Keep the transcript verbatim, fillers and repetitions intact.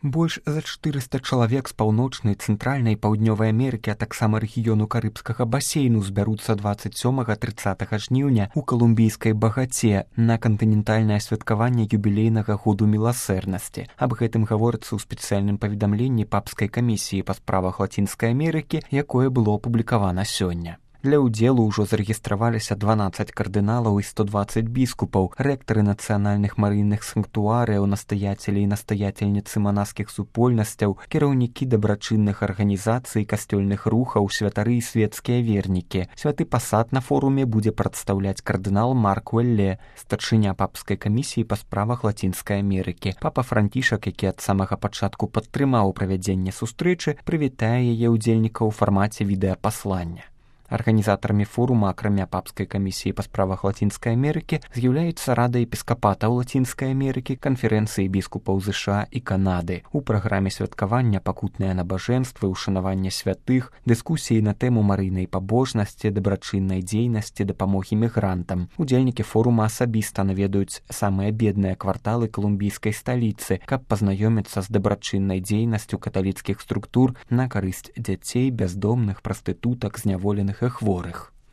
Больш за чатырыста чалавек з паўночнай, цэнтральнай і паўднёвай Амерыкі, а таксама рэгіёну карыбскага басейну збяруцца дваццаць сёмага - трыццатага жніўня ў калумбійскай Багаце на кантынентальнае святкаванне юбілейнага году міласэрнасці. Аб гэтым гаворыцца ў спецыяльным паведамленні папскай камісіі па справах Лацінскай Амерыкі, якое было апублікавана сёння. Для ўдзелу ўжо зарэгістраваліся дванаццаць кардыналаў і сто дваццаць біскупаў, рэктары нацыянальных марыйных санктуарыяў, настаяцелі і настаяцельніцы манаскіх супольнасцяў, кіраўнікі дабрачынных арганізацый, касцёльных рухаў, святары і светскія вернікі. Святы пасад на форуме будзе прадстаўляць кардынал Марк Уэлле, старшыня папскай камісіі па справах Лацінскай Амерыкі. Папа Францішак, які ад самага пачатку падтрымаў правядзенне сустрэчы, прывітае яе ўдзельнікаў у фармаце відэапаслання. Арганізатарамі форума, акрамя папскай камісіі па справах Лацінскай Амерыкі, з'яўляецца Рада епіскапатаў Лацінскай Амерыкі, канферэнцыі біскупаў ЗША і Канады. У праграме святкавання пакутныя набажэнствы, ушанаванне святых, дыскусіі на тэму марыйнай пабожнасці, дабрачыннай дзейнасці, дапамогі мігрантам. Удзельнікі форума асабіста наведаюць самыя бедныя кварталы калумбійскай сталіцы, каб пазнаёміцца з дабрачыннай дзейнасцю каталіцкіх структур на карысць дзяцей, бяздомных, прастытутак, зняволеных і хворых.